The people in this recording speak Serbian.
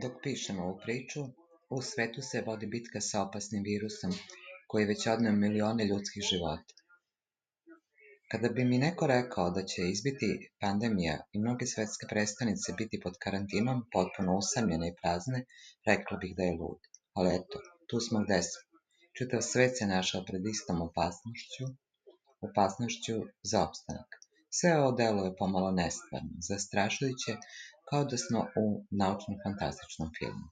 Dok pišem ovu priču, u svetu se vodi bitka sa opasnim virusom koji je već odneo milione ljudskih života. Kada bi mi neko rekao da će izbiti pandemija i mnoge svetske prestonice biti pod karantinom, potpuno usamljene i prazne, rekla bih da je lud. Ali eto, tu smo gde smo. Čitav svet se našao pred istom opasnošću za opstanak. Sve ovo deluje pomalo nestvarno, zastrašujuće, kao da smo u naučno-fantastičnom filmu.